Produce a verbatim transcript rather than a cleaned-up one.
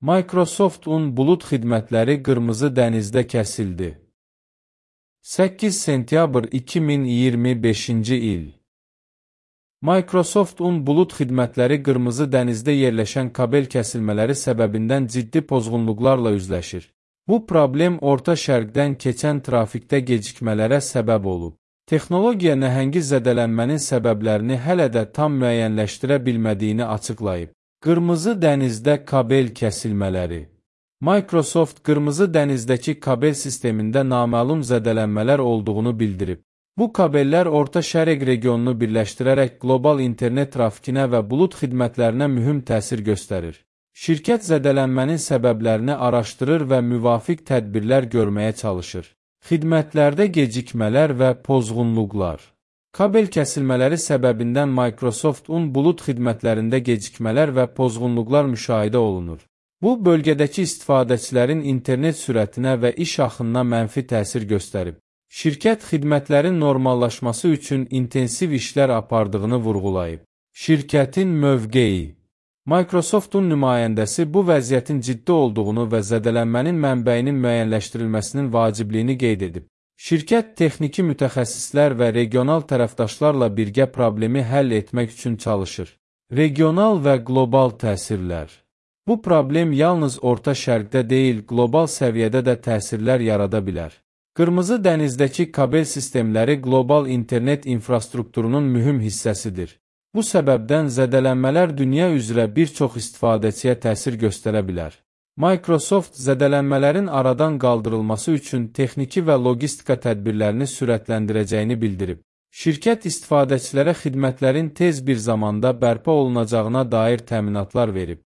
Microsoft-un bulut xidmətləri qırmızı dənizdə kəsildi. səkkiz sentyabr iki min iyirmi beşinci il. Microsoft-un bulut xidmətləri qırmızı dənizdə yerləşən kabel kəsilmələri səbəbindən ciddi pozğunluqlarla üzləşir. Bu problem Orta Şərqdən keçən trafikdə gecikmələrə səbəb olub. Texnologiya nəhəngi zədələnmənin səbəblərini hələ də tam müəyyənləşdirə bilmədiyini açıqlayıb. Qırmızı dənizdə kabel kəsilmələri. Microsoft qırmızı dənizdəki kabel sistemində naməlum zədələnmələr olduğunu bildirib. Bu kabellər Orta Şərq regionunu birləşdirərək qlobal internet trafikinə və bulut xidmətlərinə mühüm təsir göstərir. Şirkət zədələnmənin səbəblərini araşdırır və müvafiq tədbirlər görməyə çalışır. Xidmətlərdə gecikmələr və pozğunluqlar. Kabel kəsilmələri səbəbindən Microsoft-un bulut xidmətlərində gecikmələr və pozğunluqlar müşahidə olunur. Bu, bölgədəki istifadəçilərin internet sürətinə və iş axınına mənfi təsir göstərib. Şirkət xidmətlərin normallaşması üçün intensiv işlər apardığını vurğulayıb. Şirkətin mövqeyi. Microsoft-un nümayəndəsi bu vəziyyətin ciddi olduğunu və zədələnmənin mənbəyinin müəyyənləşdirilməsinin vacibliyini qeyd edib. Şirkət texniki mütəxəssislər və regional tərəfdaşlarla birgə problemi həll etmək üçün çalışır. Regional və qlobal təsirlər. Bu problem yalnız Orta Şərqdə deyil, qlobal səviyyədə də təsirlər yarada bilər. Qırmızı dənizdəki kabel sistemləri qlobal internet infrastrukturunun mühüm hissəsidir. Bu səbəbdən zədələnmələr dünya üzrə bir çox istifadəçiyə təsir göstərə bilər. Microsoft zədələnmələrin aradan qaldırılması üçün texniki və logistika tədbirlərini sürətləndirəcəyini bildirib. Şirkət istifadəçilərə xidmətlərin tez bir zamanda bərpa olunacağına dair təminatlar verib.